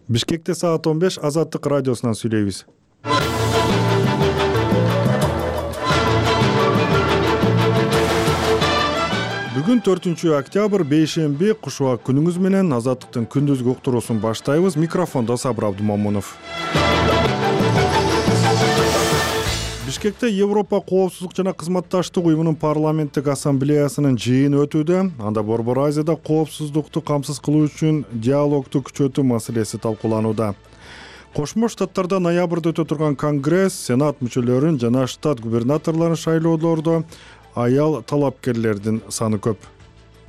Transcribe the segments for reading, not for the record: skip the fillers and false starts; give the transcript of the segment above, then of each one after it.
Бишкекте саат 15 Азаттык радиосунан сүйлөйбүз. Бүгүн 4-октябрь бейшемби кушуак күнүңүз менен Азаттыктын күндүзгү уктуруусун баштайбыз. Микрофондо Сабыр Абдумамунов. Бишкекте Европа коопсуздук жана кызматташтык уюмунун парламенттик ассамблеясынын жыйыны өтүүдө. Анда Борбор Азияда коопсуздукту камсыз кылуу үчүн диалогду күчөтүү маселеси талкууланууда. Кошмо Штаттарда ноябрда өтө турган Конгресс Сенат мүчөлөрүн жана штат губернаторлорун шайлоолордо аял талапкерлердин саны көп.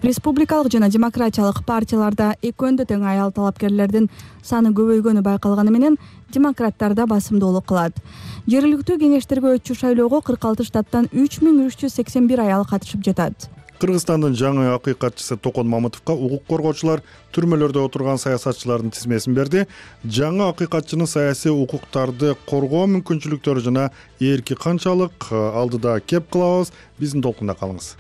Республикалык жана демократиялык партияларда экөөндө тең аял талапкерлердин саны көбөйгөнү байкалганы менен демократтарда басымдуулук кылат. Жергиликтүү кеңештерге өтчү шайлоого 46 штаттан 3381 аял катышып жатат. Кыргызстандын жаңы акыйкатчысы Токон Мамытовго укук коргоочулар түрмөлөрдө отурган саясатчылардын тизмесин берди. Жаңы акыйкатчынын саясий укуктарды коргоо мүмкүнчүлүктөрү жана эрки канчалык алдыда кеп кылабыз. Биздин толкунда калыңыз.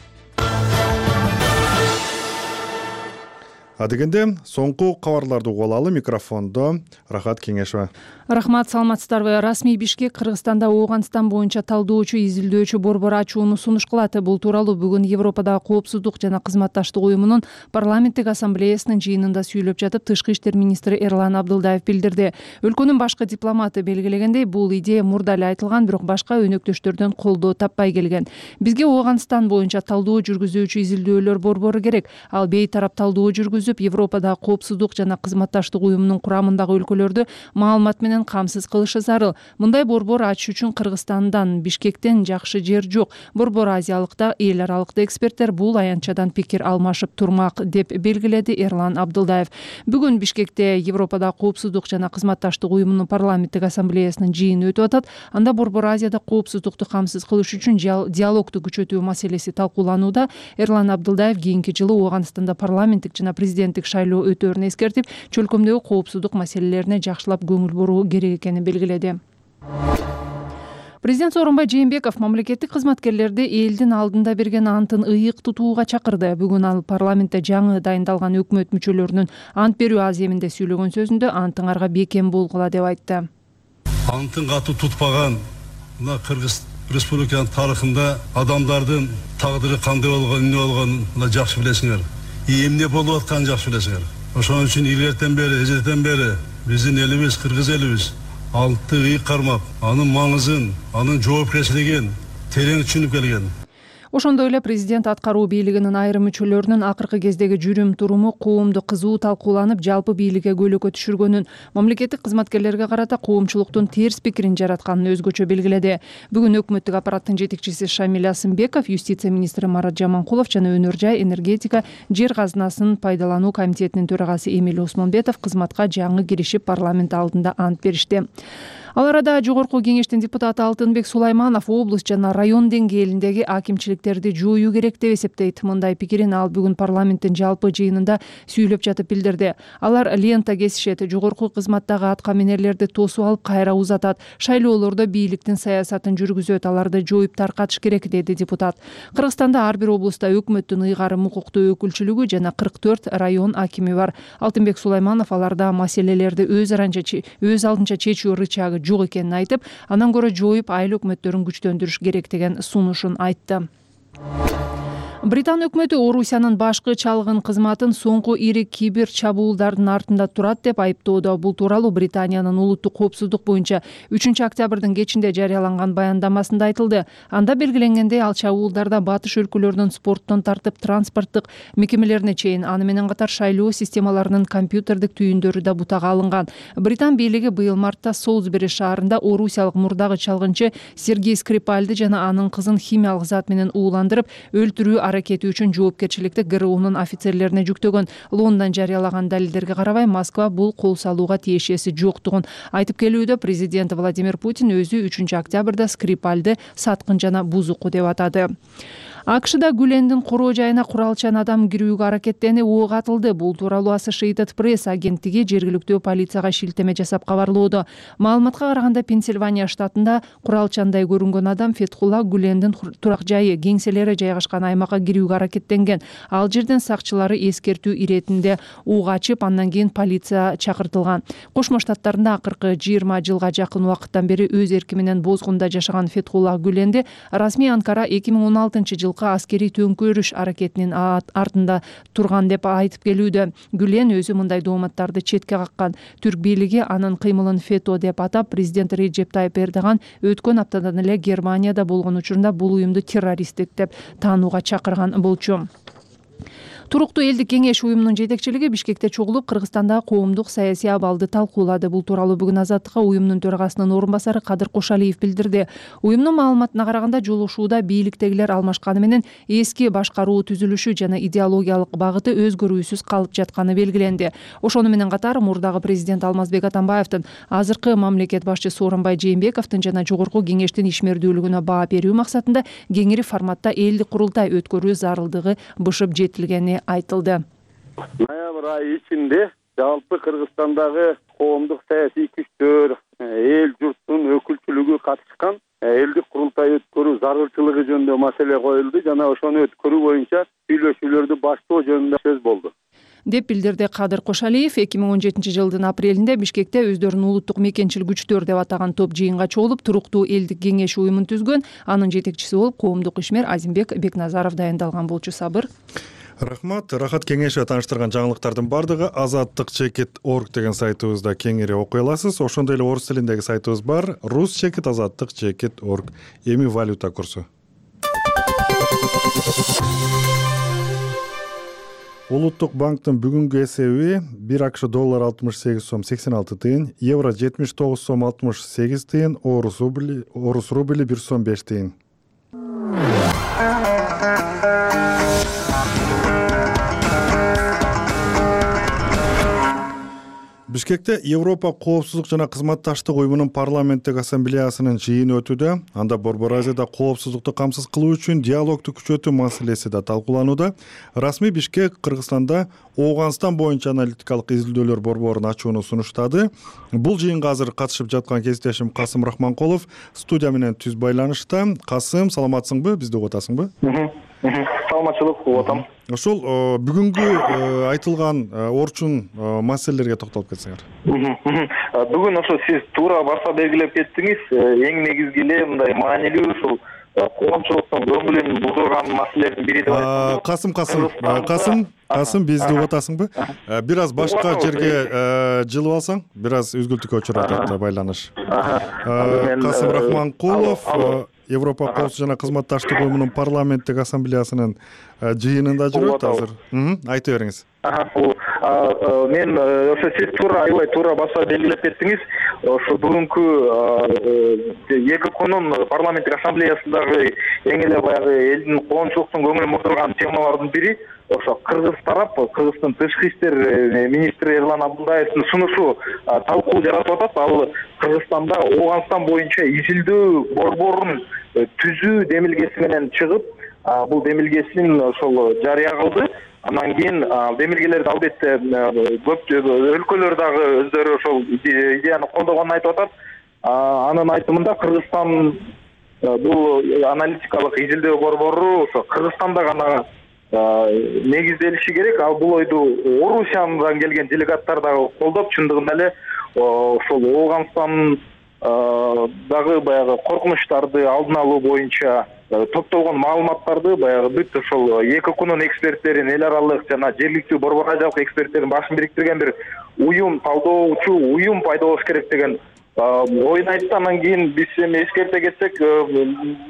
Адегенде соңку кабарларды угуп алалы. Микрофондо Рахат Кеңешова. Рахмат, саламатсыздарбы? Расмий Бишкек Кыргызстанда Ооганстан боюнча талдоочу, изилдөөчү борбор ачууну сунуш кылат. Бул тууралуу бүгүн Европадагы коопсуздук жана кызматташтык уюмунун парламенттик ассамблеясынын жыйынында сүйлөп жатып, Тышкы иштер министри Эрлан Абдылдаев билдирди. Өлкөнүн башкы дипломаты белгилегендей, бул идея мурда эле айтылган, бирок башка өнөктөштөрдөн колдоо таппай келген. Бизге Ооганстан боюнча талдоо жүргүзүүчү изилдөөлөр борбору керек. Ал бейтарап талдоо жүргүзүп, Европадагы коопсуздук жана кызматташтык уюмунун курамындагы өлкөлөрдү маалымат менен камсыз кылышы зарыл. Мындай борбор ачыш үчүн Кыргызстандан, Бишкектен жакшы жер жок. Борбор Азиялыкта эл аралыкта эксперттер бул аянтчадан пикир алмашып турмак, деп белгиледи Эрлан Абдылдаев. Бүгүн Бишкекте Европадагы коопсуздук жана кызматташтык уюмунун парламенттик ассамблеясынын жыйыны өтүп атат. Анда Борбор Азияда коопсуздукту камсыз кылыш үчүн диалогду күчөтүү маселеси талкууланууда. Эрлан Абдылдаев кийинки жылы Ооганстанда парламенттик жана президенттик шайлоо өтөөрүн эскертип, чөлкөмдөгү коопсуздук маселелерине жакшылап көңүл буруу керек экенин белгиледи. Президент Сооронбай Жээнбеков мамлекеттик кызматкерлерди элдин алдында берген антын ыйык тутууга чакырды. Бүгүн ал парламентте жаңы дайындалган өкмөт мүчөлөрүнүн ант берүү аземинде сүйлөгөн сөзүндө антыңарга бекем болгула деп айтты. Антын катуу тутпаган мына Кыргыз Республиканын тарыхында адамдардын тагдыры кандай болгонун, эмне болгонун жакшы билесиңер. Эмне болуп атканын жакшы билесиңер. Ошон үчүн илгертен бери, эжеден бери биздин элибиз, кыргыз элибиз антты ыйык кармап, анын маңызын, анын жоопкерчилигин терең түшүнүп келген. Ошондой эле президент аткаруу бийлигинин айрым мүчөлөрүнүн акыркы кездеги жүрүм туруму коомдо кызуу талкууланып, жалпы бийликке көйлөккө түшүргөнүн, мамлекеттик кызматкерлерге карата коомчулуктун терс пикирин жаратканын өзгөчө белгиледи. Бүгүн өкмөттүк аппараттын жетекчиси Шамиль Асымбеков, юстиция министри Марат Жаманкулов жана өнөр жай, энергетика, жер казынасын пайдалануу комитетинин төрагасы Эмиль Осмонбетов кызматка жаңы киришип парламент алдында ант беришти. Ал арада Жогорку кеңештин депутаты Алтынбек Сулайманов область жана район деңгээлиндеги акимчиликтерди жоюу керек деп эсептейт. Мындай пикирин ал бүгүн парламенттин жалпы жыйынында сүйлөп жатып билдирди. Алар лента кесишет, жогорку кызматтагы аткаминерлерди тосуп алып кайра узатат, шайлоолордо бийликтин саясатын жүргүзөт, аларды жоюп таркатыш керек, деди депутат. Кыргызстанда ар бир облустта өкмөттүн ыйгарым укуктуу өкүлчүлүгү жана 44 район акими бар. Алтынбек Сулайманов аларда маселелерди өз алдынча чечүү рычагы жок экенин айтып, андан көрө жоюп айыл өкмөттөрүн күчтөндүрүш керек деген сунушун айтты. Британ өкмөтү Орусиянын башкы чалгын кызматын соңку ири кибер чабуулдардын артында турат деп айыптоодо. Бул тууралуу Британиянын улуттук коопсуздук боюнча 3-октябрдын кечинде жарыяланган баяндамасында айтылды. Анда белгиленгендей, ал чабуулдарда батыш өлкөлөрүнүн спорттон тартып транспорттук мекемелерине чейин, аны менен катар шайлоо системаларынын компьютердик түйүндөрү да бутага алынган. Британ бийлиги быйыл мартта Солсбери шаарында орусиялык мурдагы чалгынчы Сергей Скрипальды жана анын кызын химиялык зат менен ууландырып өлтүрүү аракети үчүн жоопкерчиликти ГРУнун офицерлерине жүктөгөн. Лондон жарыялаган далилдерге карабай, Москва бул кол салууга тиешеси жоктугун айтып келүүдө. Президент Владимир Путин өзү 3-октябрда Скрипальды саткын жана бузуку деп атады. АКШда Гүлендин короо жайына куралчан адам кирүүгө аракеттенип ок атылды. Бул тууралуу Associated Press агенттиги жергиликтүү полицияга шилтеме жасап кабарлоодо. Маалыматка караганда, Пенсильвания штатында куралчандай көрүнгөн адам Фетхулла Гүлендин турак жайы, кеңселери жайгашкан аймакка Беларуска кирүүгө аракеттенген. Ал жерден сакчылары эскертүү иретинде уг ачып, андан кийин полиция чакыртылган. Кошмо Штаттарында акыркы 20 жылга жакын убакыттан бери өз эрки менен Бозгунда жашаган Фетхулла Гүленди расмий Анкара 2016-жылкы аскерий төңкөрүш аракетинин артында турган деп айтып келүүдө. Гүлен өзү мындай дооматтарды четке каккан. Түрк бийлиги анын кыймылын фето деп атап, президент Реджеп Тайып Эрдоган өткөн аптадан эле Германияда болгон учурунда бул уюмду террористтик деп таанууга чакырган болчу. Туруктуу элдик кеңеш уюмунун жетекчилиги Бишкекте чогулуп, Кыргызстандагы коомдук саясий абалды талкуулады. Бул тууралуу бүгүн Азаттыкка уюмдун төрагасынын орун басары Кадыр Кошалиев билдирди. Уюмдун маалыматына караганда, жолугушууда бийликтегилер алмашканы менен эски башкаруу түзүлүшү жана идеологиялык багыты өзгөрүүсүз калып жатканы белгиленди. Ошону менен катар мурдагы президент Алмазбек Атамбаевдин, азыркы мамлекет башчысы Сооронбай Жээнбековдун жана жогорку кеңештин ишмердүүлүгүнө баа берүү максатында кеңири форматта элдик курултай өткөрүү зарылдыгы бышып жетилгени айтылды. Ноябрь айы ичинде жалпы Кыргызстандагы коомдук саясий күчтөр, эл журттун өкүлчүлүгү катышкан элдик курултай өткөрүү зарылчылыгы жөнүндө маселе коюлду жана ошону өткөрүү боюнча сүйлөшүүлөрдү баштоо жөнүндө сөз болду деп билдирди Кадыр Кошалиев. 2017-жылдын апрелинде Бишкекте өздөрүн улуттук мекенчил күчтөр деп атаган топ жыйынга чогулуп, туруктуу элдик кеңеш уюмун түзгөн. Анын жетекчиси болуп коомдук ишмер Азимбек Бекназаров дайындалган болчу. Сабыр. Рахмат. Рахат кеңеши таныштырган жаңылыктардын бардыгы azattik.org деген сайтыбызда кеңири окуй аласыз. Ошондой эле орус тилиндеги сайтыбыз бар, rus.azattik.org. Эми валюта курсу. Улуттук банктын бүгүнкү эсеби 1 АКШ доллар 68 сом 86 тыйын, евро 79 сом 68 тыйын, орус рубли 1 сом 5 тыйын. Бишкекте Европа коопсуздук жана кызматташтык уюмунун парламенттик ассамблеясынын жыйыны өтүүдө. Анда Борбор Азияда коопсуздукту камсыз кылуу үчүн диалогду күчөтүү маселеси да талкууланууда. Расмий Бишкек Кыргызстанда Ооганстан боюнча аналитикалык изилдөөлөр борборун ачууну сунуштады. Бул жыйынга азыр катышып жаткан кесиптешим Касым Рахманкулов студия менен түз байланышта. Касым, саламатсыңбы? Бизди угуп атасыңбы? Саламатчылык, угуп атам. Ошол бүгүнкү айтылган орчун маселелерге токтолуп кетсеңер. Бүгүн ошо сиз туура баса белгилеп кеттиңиз. Эң негизги эле мындай маанилүү ушул коомчулуктун көңүлүн бузган маселелердин бири деп айтсам. Касым, бизди угуп атасыңбы? Бир аз башка жерге жылып алсаң, бир аз үзгүлтүккө учурат атты байланыш. Касым Рахманкулов Европа коопсуздук жана кызматташтык уюмунун парламенттик ассамблеясынын жыйынында жүрөт азыр. Айта бериңиз. Мен ошо сиз аябай туура баса белгилеп кеттиңиз. Ошо бүгүнкү ЕККнун парламенттик ассамблеясындагы эң эле баягы элдин коомчулуктун көңүлүн бурган темалардын бири ошо Кыргыз тарап, Кыргыздын тышкы иштер министри Эрлан Абдулдаевдин сунушу талкуу жаратып атат. Ал Кыргызстанда Ооганстан боюнча изилдөө борборун түзүү демилгеси менен чыгып, бул демилгесин ошол жарыя кылды. Андан кийин демилгелерди албетте көп өлкөлөр дагы өздөрү ошол идеяны колдогонун айтып атат. Анын айтымында Кыргызстан бул аналитикалык изилдөө борбору ошо Кыргызстанда гана негизделиши керек. Ал бул ойду Орусиядан келген делегаттар дагы колдоп, чындыгында эле ошол Ооганстан дагы баягы коркунучтарды алдын алуу боюнча топтолгон маалыматтарды баягы бүт ошол ЕККнун эксперттерин, эл аралык жана жергиликтүү борбор азиялык эксперттерин башын бириктирген бир уюм, талдоочу уюм пайда болуш керек деген ойун айтты. Андан кийин биз эми эскерте кетсек,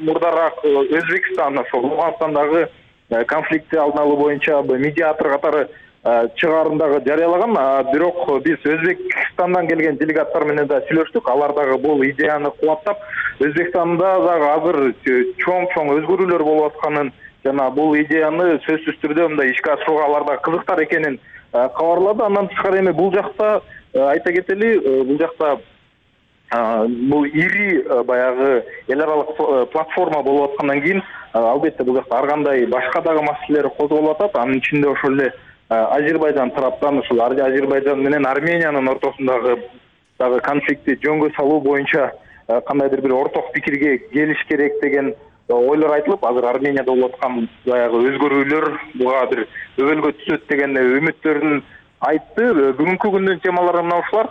мурдараак Өзбекстан ошол Ооганстандагы конфликтти алдын алуу боюнча медиатор катары чыгарымдагы жарыялаган. Бирок биз Өзбекстандан келген делегаттар менен да сүйлөштүк. Алар дагы бул идеяны кубаттап, Өзбекстанда дагы азыр чоң өзгөрүүлөр болуп атканын жана бул идеяны сөзсүз түрдө мындай ишке ашырууга алар да кызыктар экенин кабарлады. Андан тышкары эми бул жакта айта кетели, бул жакта бул ири баягы эл аралык платформа болуп аткандан кийин албетте бул жакта ар кандай башка дагы маселелер козголуп атат. Анын ичинде ошол эле Азербайжан тараптан ушул Азербайжан менен Армениянын ортосундагы дагы конфликтти жөнгө салуу боюнча кандайдыр бир орток пикирге келиш керек деген ойлор айтылып, азыр Арменияда болуп аткан баягы өзгөрүүлөр буга бир өбөлгө түшөт деген үмүттөрүн айтты. Бүгүнкү күндүн темалары мына ушулар.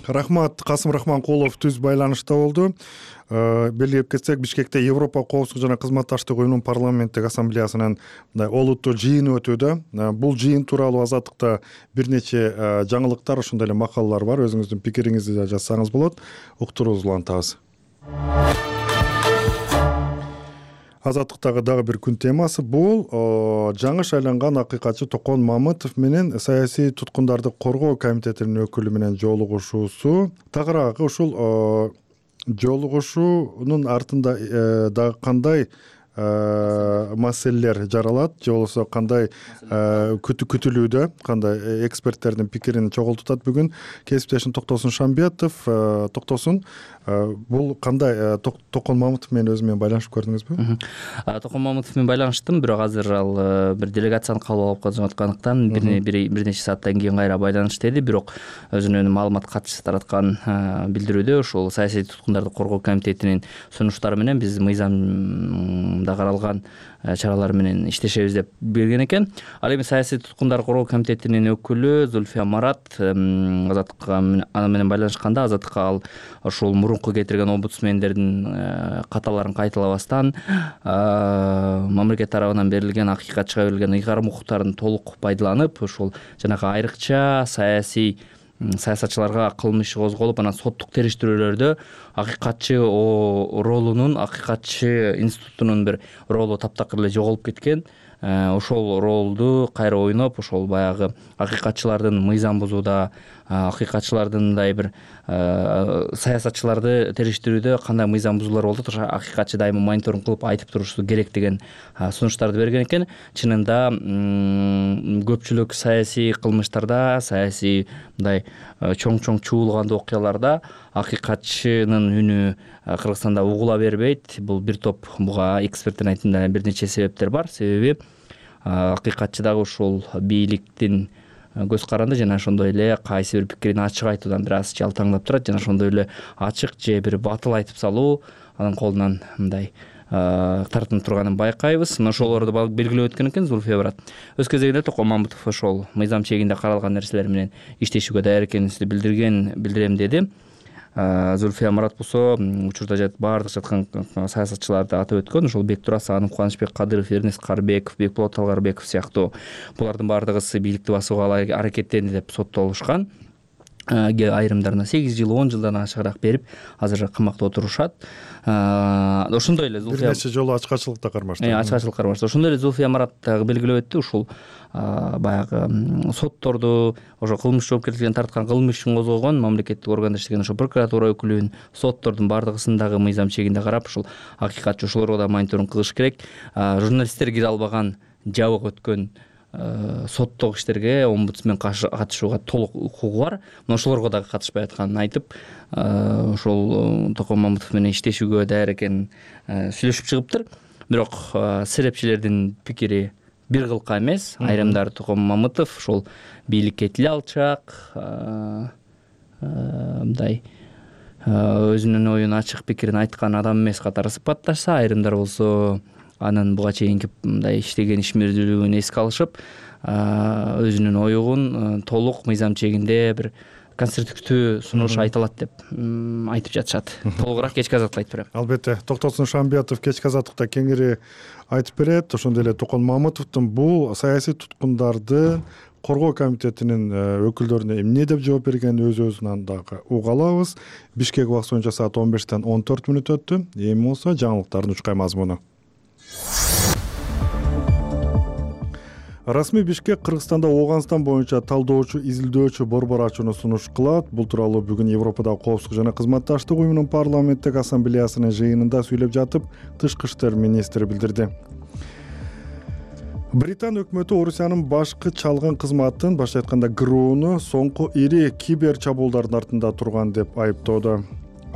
Рахмат. Касым Рахманкулов түз байланышта болду. Белгилеп кетсек, Бишкекте Европа коопсуздук жана кызматташтык уюмунун парламенттик ассамблеясынын мындай олуттуу жыйыны өтүүдө. Бул жыйын тууралуу Азаттыкта бир нече жаңылыктар, ошондой эле макалалар бар. Өзүңүздүн пикириңизди да жазсаңыз болот. Уктуруубузду улантабыз. Азаттыктагы дагы бир күн темасы бул жаңы шайланган акыйкатчы Токон Мамытов менен саясий туткундарды коргоо комитетинин өкүлү менен жолугушуусу. Тагыраагы ушул жолугушуунун артында дагы кандай маселелер жаралат, же болбосо кандай күтүлүүдө, кандай эксперттердин пикирин чогултутат бүгүн кесиптешим Токтосун Шамбетов. Токтосун, бул кандай? Токон Мамытов менен өзү менен байланышып көрдүңүзбү? Токон Мамытов менен байланыштым, бирок азыр ал бир делегацияны кабыл алып жаткандыктан бир нече сааттан кийин кайра байланыш деди. Бирок өзүнүн маалымат катчысы тараткан билдирүүдө ушул саясий туткундарды коргоо комитетинин сунуштары менен биз мыйзамда каралган чаралар менен иштешебиз деп берген экен. Ал эми саясий туткундарды коргоо комитетинин өкүлү Зульфия Марат Азаттыкка аны менен байланышканда, Азаттыкка ал ушул мурунку кетирген омбудсмендердин каталарын кайталабастан мамлекет тарабынан берилген акыйкатчыга берилген ыйгарым укуктарын толук пайдаланып, ушул жанагы айрыкча саясатчыларга кылмыш козголуп, анан соттук териштирүүлөрдө акыйкатчы ролунун, акыйкатчы институтунун бир ролу таптакыр эле жоголуп кеткен. Ошол ролду кайра ойноп, ошол баягы акыйкатчылардын мыйзам бузууда, акыйкатчылардын мындай бир саясатчыларды териштирүүдө кандай мыйзам бузуулар болуп атат, акыйкатчы дайыма мониторинг кылып айтып турушу керек деген сунуштарды берген экен. Чынында көпчүлүк саясий кылмыштарда, саясий мындай чоң чуулгандуу окуяларда акыйкатчынын үнү Кыргызстанда угула бербейт. Бул бир топ, буга эксперттин айтымында бир нече себептер бар. Себеби акыйкатчы дагы ушул бийликтин көз каранды жана ошондой эле кайсы бир пикирин ачык айтуудан бир аз жалтаңдап турат, жана ошондой эле ачык же бир батыл айтып салуу анын колунан мындай тартынып турганын байкайбыз. Мына ошолорду белгилеп өткөн экен Зульфия Марат. Өз кезегинде Токон Мамытов ошол мыйзам чегинде каралган нерселер менен иштешүүгө даяр экенибизди билдирем деди. Зульфия Марат болсо учурда баардык жаткан саясатчыларды атап өткөн. Ошол Бектур Асанов, Кубанычбек Кадыров, Эрнест Карбеков, Бекболот Талгарбеков сыяктуу булардын баардыгысы бийликти басууга аракеттенди деп соттолушкан. Айрымдарына 8 жыл, 10 жылдан ашыгыраак берип, азыр камакта отурушат. Ошондой эле Зульфия бир нече жолу ачкачылыкта кармашты. Ачкачылык кармашты. Ошондой эле Зульфия Марат белгилеп өттү, ушул баягы сотторду, ошо кылмыш жоопкерчилигине тарткан кылмыш ишин козгогон мамлекеттик органда иштеген ошо прокуратура өкүлүн, соттордун баардыгысын дагы мыйзам чегинде карап, ушул акыйкатчы ошолорго да мониторинг кылыш керек. Журналисттер кире албаган, жабык өткөн соттук иштерге омбудсмен катышууга толук укугу бар. Ошолорго дагы катышпай атканын айтып, ошол Токон Мамытов менен иштешүүгө даяр экенин сүйлөшүп чыгыптыр. Бирок серепчилердин пикири бир кылка эмес. Айрымдары Токон Мамытов ошол бийликке тил алчак, мындай өзүнүн оюн ачык пикирин айткан адам эмес катары сыпатташса, айрымдар болсо анын буга чейинки мындай иштеген ишмердүүлүгүн эске алышып, өзүнүн оюн толук мыйзам чегинде бир конструктивдүү сунуш айта алат деп айтып жатышат. Толугураак кечки азаттыкта айтып берем. Албетте, Токтосун Шамбетов кечки азаттыкта кеңири айтып берет. Ошондой эле Токон Мамытовдун бул саясий туткундарды коргоо комитетинин өкүлдөрүнө эмне деп жооп бергенин өзүнөн дагы уга алабыз. Бишкек убакыты боюнча саат 15-тен 14 мүнөт өттү. Эми болсо жаңылыктардын учкай мазмуну. Расмий Бишкек Кыргызстанда Ооганстан боюнча талдоочу, изилдөөчү борбор ачууну сунуш кылат. Бул тууралуу бүгүн Европадагы коопсуздук жана кызматташтык уюмунун парламенттик ассамблеясынын жыйынында сүйлөп жатып, тышкы иштер министри билдирди. Британ өкмөтү Орусиянын башкы чалгын кызматын, башкача айтканда ГРУну, соңку ири кибер чабуулдардын артында турган деп айыптоодо.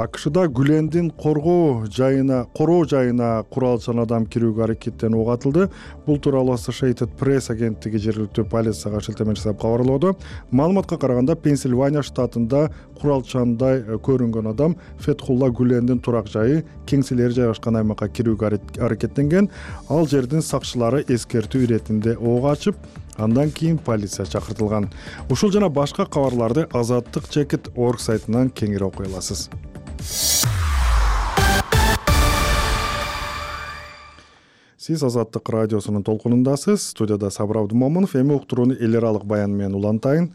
АКШда Гүлендин короо жайына куралчан адам кирүүгө аракеттенүү ок атылды. Бул тууралуу Associated Press агенттиги жергиликтүү полицияга шилтеме жасап кабарлоодо. Маалыматка караганда, Пенсильвания штатында куралчандай көрүнгөн адам Фетхулла Гүлендин турак жайы кеңселери жайгашкан аймакка кирүүгө аракеттенген. Ал жердин сакчылары эскертүү иретинде ок ачып, андан кийин полиция чакыртылган. Ушул жана башка кабарларды Azadlyk.org сайтынан кеңири окуй аласыз. Сиз Азаттык радиосунун толкунундасыз. Студияда Сабыр Абдумомунов. Эми уктурууну эл аралык баян менен улантайын.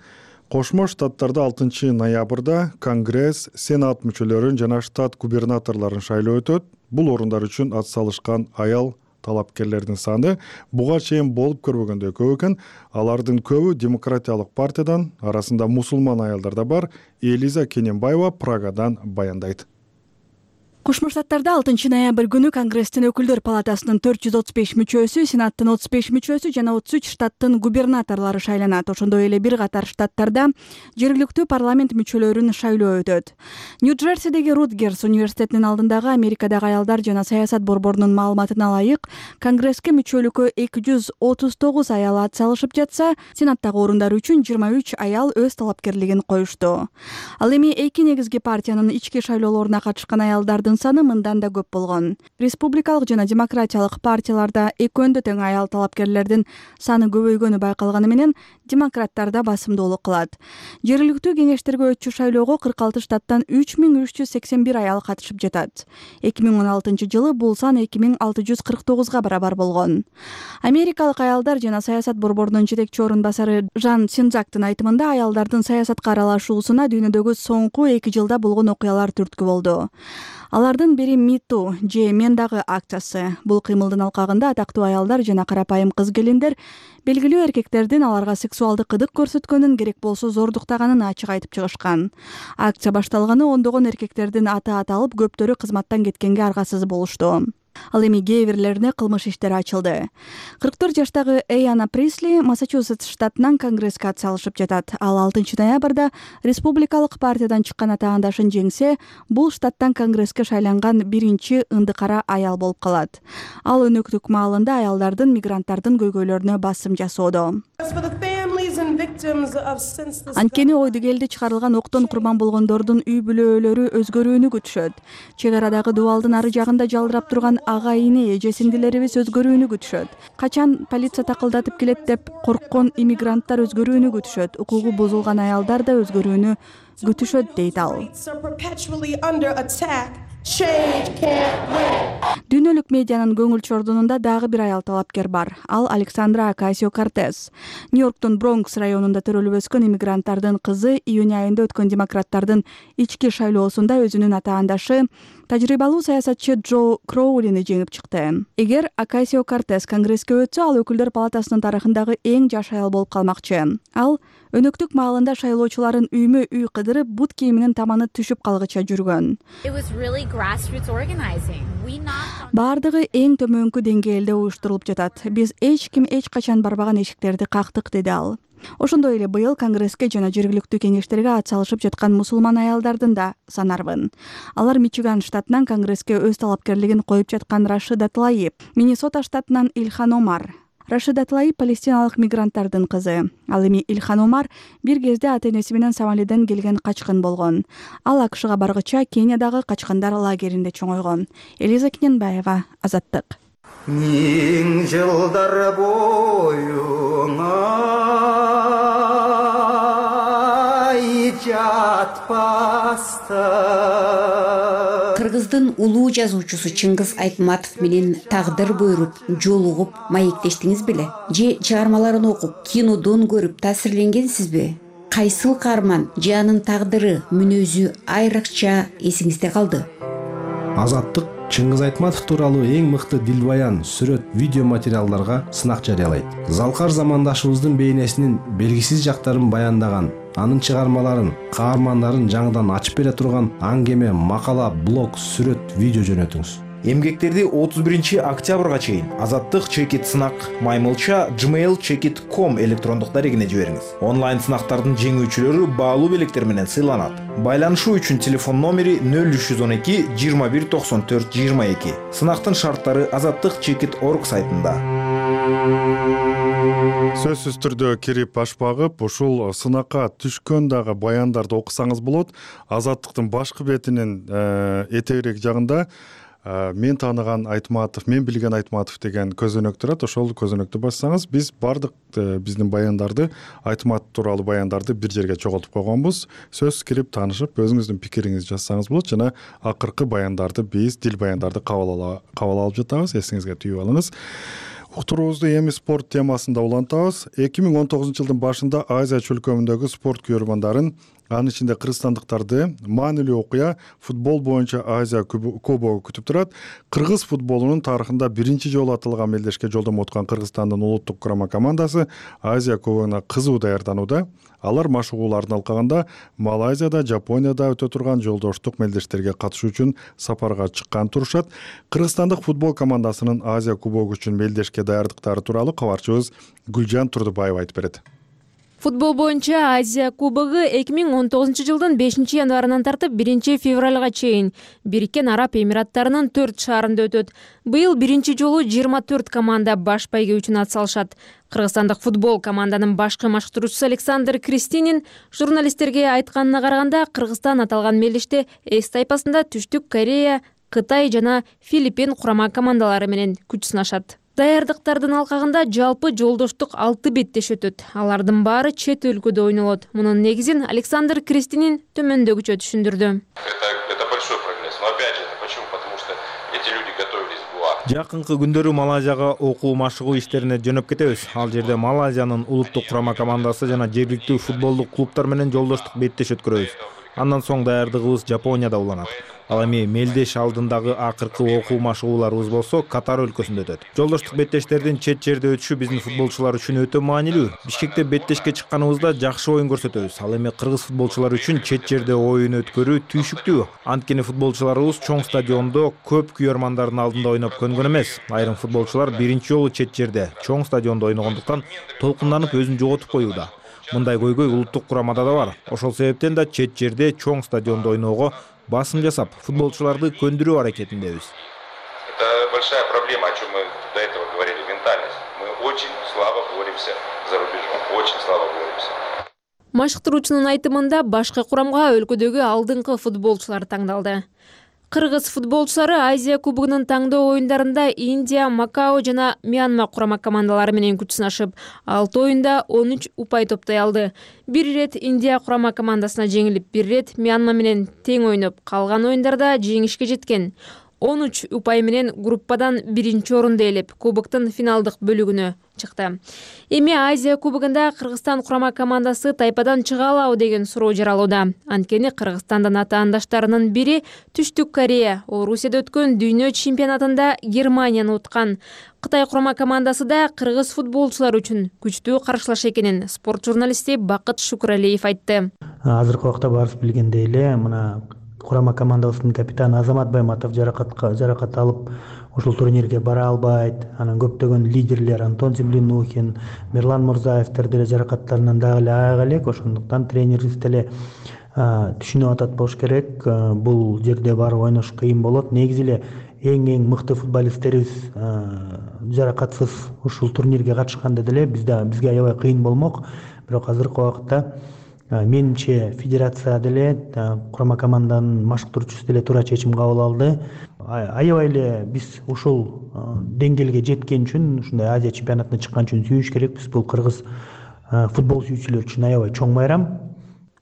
Кошмо Штаттарда 6 ноябрда Конгресс, Сенат мүчөлөрүн жана штат губернаторлорун шайлоо өтөт. Бул орундар үчүн ат салышкан аял талапкерлердин саны буга чейин болуп көрбөгөндөй көп экен. Алардын көбү демократиялык партиядан, арасында мусулман аялдар да бар. Элиза Кененбаева Прагадан баяндайт. Кошмо Штаттарда 6 ноябрь күнү Конгресстин өкүлдөр палатасынын 435 мүчөсү, Сенаттын 35 мүчөсү жана 33 штаттын губернаторлору шайланат. Ошондой эле бир катар штаттарда жергиликтүү парламент мүчөлөрүн шайлоо өтөт. Нью-Джерсидеги Рутгерс университетинин алдындагы Америкадагы аялдар жана саясат борборунун маалыматына ылайык, Конгресске мүчөлүккө 239 аял ат салышып жатса, Сенаттагы орундар үчүн 23 аял өз талапкерлигин коюшту. Ал эми эки негизги партиянын ички шайлоолоруна катышкан аялдардын саны мындан да көп болгон. Республикалык жана демократиялык партияларда экөөндө тең аял талапкерлердин саны көбөйгөнү байкалганы менен демократтарда басымдуулук кылат. Жергиликтүү кеңештерге өтчү шайлоого 46 штаттан 3381 аял катышып жатат. 2016 жылы бул сан 2649га барабар болгон. Америкалык аялдар жана саясат борборунун жетекчи орун басары Жан Синзактын айтымында, аялдардын саясатка аралашуусуна дүйнөдөгү соңку 2 жылда болгон окуялар түрткү болду. Алардын бири Миту же Мен дагы акциясы. Бул кыймылдын алкагында атактуу аялдар жана карапайым кыз-келиндер белгилүү эркектердин аларга сексуалдык кыдык көрсөткөнүн, керек болсо зордуктаганын ачык айтып чыгышкан. Акция башталганы ондогон эркектердин аты аталып, көптөрү кызматтан кеткенге аргасыз болушту. Ал эми кээ бирлерине кылмыш иштери ачылды. 44 жаштагы Эйана Присли Массачусетс штатынан Конгресске ат салышып жатат. Ал 6 ноябрда республикалык партиядан чыккан атаандашын жеңсе, бул штаттан Конгресске шайланган биринчи ындыкара аял болуп калат. Ал өнөктүк маалында аялдардын, мигранттардын көйгөйлөрүнө басым жасоодо. Анткени ойду келди чыгарылган октон курман болгондордун үй бүлөлөрү өзгөрүүнү күтүшөт. Чек арадагы дубалдын ары жагында жалдырап турган ага-ине, эже-сиңдилерибиз өзгөрүүнү күтүшөт. Качан полиция такылдатып келет деп корккон иммигранттар өзгөрүүнү күтүшөт. Укугу бузулган аялдар да өзгөрүүнү күтүшөт, дейт ал. Дүйнөлүк медианын көңүл чордунунда дагы бир аял талапкер бар. Ал Александра Окасио-Кортес. Нью-Йорктун Бронкс районунда төрөлүп өскөн иммигранттардын кызы июнь айында өткөн демократтардын ички шайлоосунда өзүнүн атаандашы, тажрыйбалуу саясатчы Джо Кроулини жеңип чыкты. Эгер Окасио-Кортес Конгресске өтсө, ал өкүлдөр палатасынын тарыхындагы эң жаш аял болуп калмакчы. Ал өнөктүк маалында шайлоочуларын үймө-үй кыдырып, бут кийиминин таманы түшүп калгыча жүргөн. Бардыгы эң төмөнкү деңгээлде уюштурулуп жатат. Биз эч ким эч качан барбаган эшиктерди кактык, деди ал. Ошондой эле быйыл Конгресске жана жергиликтүү кеңештерге ат салышып жаткан мусулман аялдардын да санарбын. Алар Мичиган штатынан Конгресске өз талапкерлигин коюп жаткан Рашида Тлайип, Миннесота штатынан Ильхан Омар. Рашида Тлайип палестиналык мигранттардын кызы. Ал эми Ильхан Омар бир кезде ата-энеси менен Сомалиден келген качкын болгон. Ал АКШга баргыча Кениядагы качкындар лагеринде чоңойгон. Элиза Кененбаева, Азаттык. Миң жылдар боюңа жатпастан. Кыргыздын улуу жазуучусу Чыңгыз Айтматов менен тагдыр буйруп, жолугуп, маектештиңиз беле? Же чыгармаларын окуп, кинодон көрүп таасирленгенсизби? Кайсыл каарман же анын тагдыры, мүнөзү айрыкча эсиңизде калды? Азаттык Чыңгыз Айтматов тууралуу эң мыкты дилбаян, сүрөт, видео материалдарга сынак жарыялайт. Залкар замандашыбыздын бейнесинин белгисиз жактарын баяндаган, анын чыгармаларын, каармандарын жаңыдан ачып бере турган аңгеме, макала, блог, сүрөт, видео жөнөтүңүз. Эмгектерди 31 октябрга чейин Азаттык чекит сынак @gmail.com электрондук дарегине жибериңиз. Онлайн сынактардын жеңүүчүлөрү баалуу белектер менен сыйланат. Байланышуу үчүн телефон номери 0312 21 94 22. Сынактын шарттары azattikchekit.org сайтында. Сөзсүз түрдө кирип аш багып, ушул сынакка түшкөн дагы баяндарды окусаңыз болот. Азаттыктын башкы бетинин этегирээк жагында мен тааныган Айтматов, мен билген Айтматов деген көзөнөк турат. Ошол көзөнөктү бассаңыз, биз бардык биздин баяндарды, Айтматов тууралуу баяндарды бир жерге чогултуп койгонбуз. Сөз кирип таанышып, өзүңүздүн пикириңизди жазсаңыз болот жана акыркы баяндарды биз дил баяндарды кабыл алып жатабыз. Эсиңизге түйүп алыңыз. Уктуруубузду эми спорт темасында улантабыз. 2019 жылдын башында Азия чөлкөмүндөгү спорт күйөрмандарын, анын ичинде кыргызстандыктарды маанилүү окуя футбол боюнча Азия кубогу күтүп турат. Кыргыз футболунун тарыхында биринчи жолу аталган мелдешке жолдомо уткан Кыргызстандын улуттук курама командасы Азия кубогуна кызуу даярданууда. Алар машыгууларын алкаганда Малайзияда, Жапонияда өтө турган жолдоштук мелдештерге катышуу үчүн сапарга чыккан турушат. Кыргызстандык футбол командасынын Азия кубогу үчүн мелдешке даярдыктары тууралуу кабарчыбыз Гүлжан Турдубаева айтып берет. Футбол боюнча Азия кубогу 2019 жылдын 5 январынан тартып 1 февралга чейин Бириккен Араб Эмираттарынын 4 шаарында өтөт. Быйыл биринчи жолу 24 команда баш байге үчүн ат салышат. Кыргызстандык футбол команданын башкы машыктыруучусу Александр Кристинин журналисттерге айтканына караганда, Кыргызстан аталган мелдеште Эс тайпасында Түштүк Корея, Кытай жана Филиппин курама командалары менен күч сынашат. Даярдыктардын алкагында жалпы жолдоштук 6 беттеш өтөт. Алардын баары чет өлкөдө ойнолот. Мунун негизин Александр Кристинин төмөндөгүчө түшүндүрдү. Это большой прогресс. Но опять же, почему? Потому что эти люди готовились в ГУА. Жакынкы күндөрү Малайзияга окуу машыгуу иштерине жөнөп кетебиз. Ал жерде Малайзиянын улуттук курама командасы жана жергиликтүү футболдук клубтар менен жолдоштук беттеш өткөрөбүз. Андан соң даярдыгыбыз Жапонияда уланат. Ал эми мелдеш алдындагы акыркы окуу машыгууларыбыз болсо Катар өлкөсүндө өтөт. Жолдоштук беттештердин чет жерде өтүшү биздин футболчулар үчүн өтө маанилүү. Бишкекте беттешке чыкканыбызда жакшы оюн көрсөтөбүз. Ал эми кыргыз футболчулар үчүн чет жерде оюн өткөрүү түйшүктүү. Анткени футболчуларыбыз чоң стадиондо көп күйөрмандардын алдында ойноп көнгөн эмес. Айрым футболчулар биринчи жолу чет жерде, чоң стадиондо ойногондуктан толкунданып өзүн жоготуп коюуда. Мындай көйгөй улуттук курамада да бар. Ошол себептен да чет жерде, чоң стадиондо ойноого басым жасап, футболчуларды көндүрүү аракетиндебиз. Это большая проблема, о чем мы до этого говорили, ментальность. Мы очень слабо боремся за рубежом, очень слабо боремся. Машыктыруучунун айтымында башкы курамга өлкөдөгү алдыңкы футболчулар таңдалды. Кыргыз футболчулары Азия кубогунун таңдоо оюндарында Индия, Макао жана Мьянма курама командалары менен күч сынашып, 6 оюнда 13 упай топтой алды. Бир ирет Индия курама командасына жеңилип, бир ирет Мьянма менен тең ойноп, калган оюндарда жеңишке жеткен. 13 упай менен группадан биринчи орунду ээлеп, кубоктун финалдык бөлүгүнө чыкты. Эми Азия кубогунда Кыргызстан курама командасы тайпадан чыга алабы деген суроо жаралууда. Анткени Кыргызстандын атаандаштарынын бири Түштүк Корея Орусияда өткөн дүйнө чемпионатында Германияны уткан. Кытай курама командасы да кыргыз футболчулар үчүн күчтүү каршылаш экенин спорт журналисти Бакыт Шукуралиев айтты. Азыркы убакта баарыбыз билгендей эле, мына курама командабыздын капитаны Азамат Байматов жаракат алып, ушул турнирге бара албайт. Анан көптөгөн лидерлер Антон Землянухин, Мирлан Мурзаевдер деле жаракаттарынан дагы эле аяк элек. Ошондуктан тренерибиз деле түшүнүп атат болуш керек. Бул жерде барып ойнош кыйын болот. Негизи эле эң мыкты футболисттерибиз жаракатсыз ушул турнирге катышканда деле бизге аябай кыйын болмок. Бирок азыркы убакытта менимче федерация деле курама команданын машыктыруучусу деле туура чечим кабыл алды. Аябай эле биз ушул деңгээлге жеткен үчүн, ушундай Азия чемпионатына чыккан үчүн сүйүш керекпиз. Бул кыргыз футбол сүйүүчүлөр үчүн аябай чоң байрам.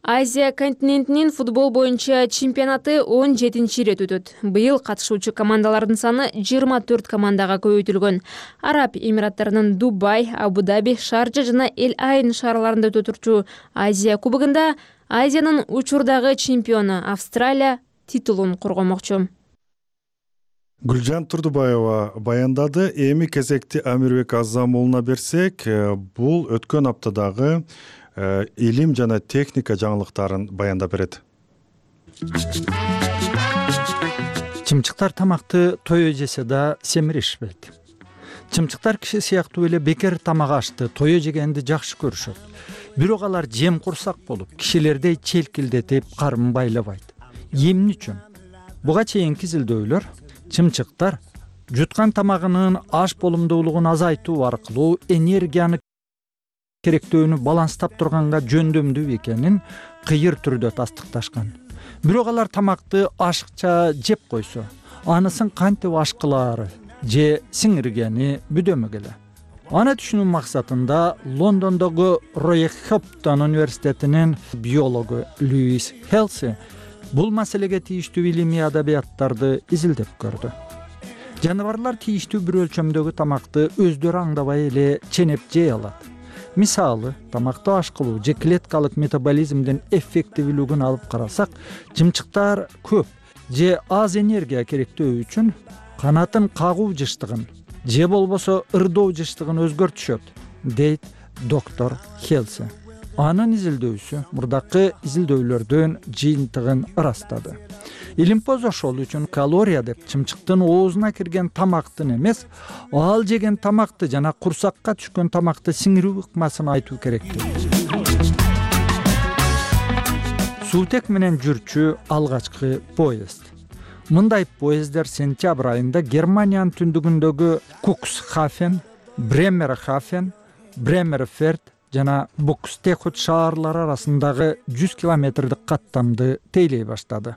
Азия континентинин футбол боюнча чемпионаты 17-нчи ирет өтөт. Быйыл катышуучу командалардын саны 24 командага көбөйтүлгөн. Араб Эмираттарынын Дубай, Абу-Даби, Шарджа жана Эль-Айн шаарларында өтө турчу Азия кубогунда Азиянын учурдагы чемпиону Австралия титулун коргомокчу. Гүлжан Турдубаева баяндады. Эми кезекти Амирбек Азам уулуна берсек, бул өткөн аптадагы илим жана техника жаңылыктарын баяндап берет. Чымчыктар тамакты тое жесе да семиришпейт. Чымчыктар киши сыяктуу эле бекер тамак ашты, тое жегенди жакшы көрүшөт. Бирок алар жем курсак болуп, кишилердей челкилдетип карын байлабайт. Эмне үчүн? Буга чейинки изилдөөлөр чымчыктар жуткан тамагынын аш болумдуулугун азайтуу аркылуу энергияны керектөөнү баланстап турганга жөндөмдүү экенин кыйыр түрдө тастыкташкан. Бирок алар тамакты ашыкча жеп койсо, анысын кантип ашкылаары же сиңиргени бүдөмөк эле. Аны түшүнүү максатында Лондондогу Роехоптон университетинин биологу Льюис Хелси бул маселеге тийиштүү илимий адабияттарды изилдеп көрдү. Жаныбарлар тийиштүү бир өлчөмдөгү тамакты өздөрү аңдабай эле ченеп жей алат. Мисалы, тамакты ашкылуу же клеткалык метаболизмдин эффективдүүлүгүн алып карасак, чымчыктар көп же аз энергия керектөө үчүн канатын кагуу жыштыгын же болбосо ырдоо жыштыгын өзгөртүшөт, дейт доктор Хелси. Анын изилдөөсү мурдакы изилдөөлөрдүн жыйынтыгын ырастады. Илимпоз ошол үчүн калория деп чымчыктын оозуна кирген тамактын эмес, ал жеген тамакты жана курсакка түшкөн тамакты сиңирүү ыкмасын айтуу керек. Суутек менен жүрчү алгачкы поезд. Мындай поезддер сентябрь айында Германиянын түндүгүндөгү Куксхафен, Бремерхафен, Бремерферд жана Букстехут шаарлары арасындагы 100 километрдик каттамды тейлей баштады.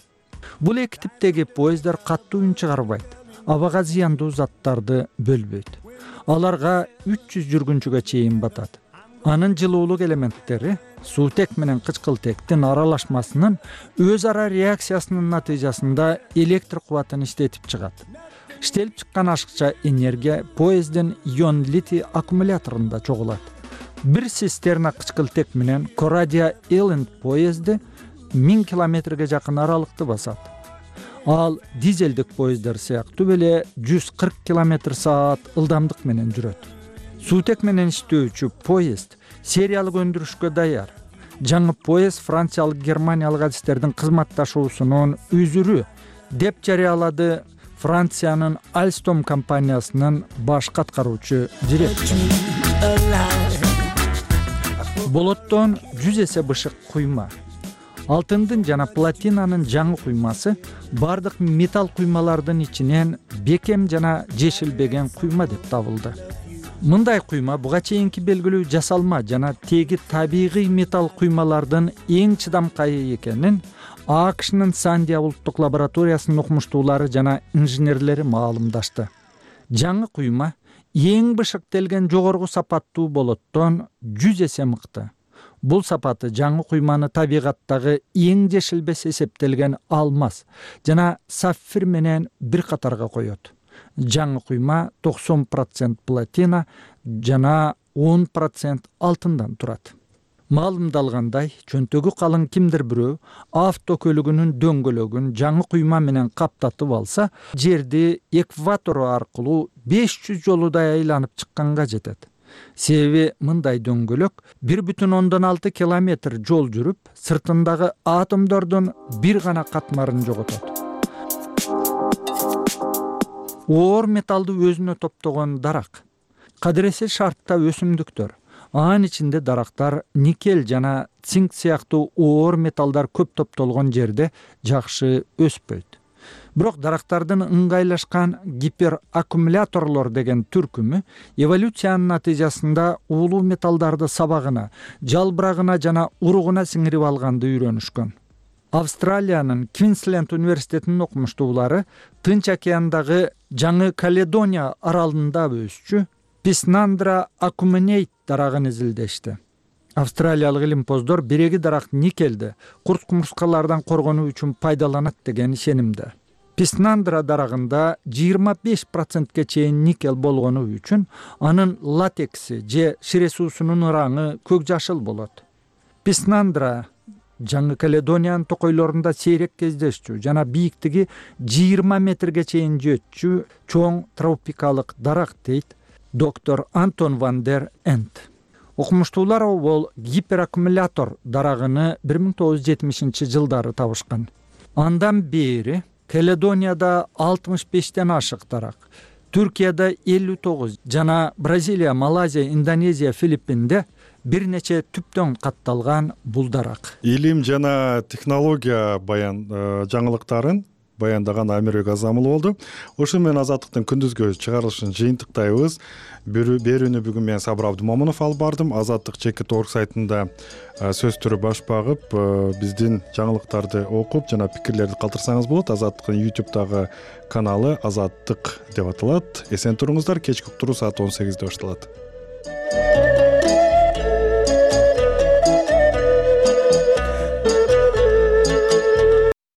Бул эки типтеги поезддер каттуу үн чыгарбайт, абага зыяндуу заттарды бөлбөйт. Аларга 300 жүргүнчүгө чейин батат. Анын жылуулук элементтери суутек менен кычкылтектин аралашмасынын өз ара реакциясынын натыйжасында электр кубатын иштетип чыгат. Иштелип чыккан ашыкча энергия поезддин ион литий аккумуляторунда чогулат. Бир цистерна кычкылтек менен Корадия Элленд поезди 1000 километрге жакын аралыкты басат. Ал дизелдик поезддер сыяктуу эле 140 км/саат ылдамдык менен жүрөт. Суутек менен иштөөчү поезд сериялык өндүрүшкө даяр. Жаңы поезд франциялык германиялык адистердин кызматташуусунун үзүрү деп жарыялады Франциянын Alstom компаниясынын баш каткаруучу директору. Болоттон 100 эсе бышык куйма. Алтындын жана платинанын жаңы куймасы бардык металл куймалардын ичинен бекем жана жешилбеген куйма деп табылды. Мындай куйма буга чейинки белгилүү жасалма жана теги табигый металл куймалардын эң чыдамкайы экенин АКШнын Сандия улуттук лабораториясынын окумуштуулары жана инженерлери маалымдашты. Жаңы куйма эң бышыктелген жогорку сапаттуу болоттон 100 эсе мыкты. Бул сапаты жаңы куйманы табигаттагы эң жешилбес эсептелген алмаз жана саффир менен бир катарга коет. Жаңы куйма 90% платина жана 10% алтындан турат. Маалымдалгандай, чөнтөгү калың кимдир бирөө автокөлүгүнүн дөңгөлөгүн жаңы куйма менен каптатып алса, жерди экватору аркылуу 500 жолудай айланып чыкканга жетет. Себеби мындай дөңгөлөк 1,6 километр жол жүрүп, сыртындагы атомдордун бир гана катмарын жоготот. Оор металлды өзүнө топтогон дарак. Кадыресе шартта өсүмдүктөр. Анын ичинде дарактар никель жана цинк сыяктуу оор металлдар көп топтолгон жерде жакшы өспөйт. Бирок дарактардын ыңгайлашкан гипераккумуляторлор деген түркүмү эволюциянын натыйжасында уулуу металлдарды сабагына, жалбырагына жана уругуна сиңирип алганды үйрөнүшкөн. Австралиянын Квинсленд университетинин окумуштуулары Тынч океандагы Жаңы Каледония аралында өсчү Писнандра акумунейт дарагын изилдешти. Австралиялык илимпоздор биреги дарак никелди курт-кумурскалардан коргонуу үчүн пайдаланат деген ишенимде. Писнандра дарагында 25%ке чейин никель болгону үчүн анын латекси же ширесуусунун ыраңы көк жашыл болот. Писнандра Жаңы Каледониянын токойлорунда сейрек кездешчү жана бийиктиги 20 метрге чейин жетчү чоң тропикалык дарак, дейт доктор Антон ван дер Энд. Окумуштуулар ол гипераккумулятор дарагыны 1970-жылдары табышкан. Андан бери Каледонияда 65тен ашык тарак, Түркияда 59 жана Бразилия, Малайзия, Индонезия, Филиппинде бир нече түптөн катталган бул дарак. Илим жана технология жаңылыктарын баяндаган Амирбек Азамұлы болду. Ошо менен Азаттыктын күндүзгү чыгарылышын жыйынтыктайбыз. Берүүнү бүгүн мен Сабыр Абдумомунов алып бардым. Азаттык ЧК.org сайтында сөз түрү баш багып, биздин жаңылыктарды окуп жана пикирлерди калтырсаңыз болот. Азаттыктын YouTube'дагы каналы Азаттык деп аталат. Эсен туруңуздар. Кечки уктуруу саат 18-де башталат.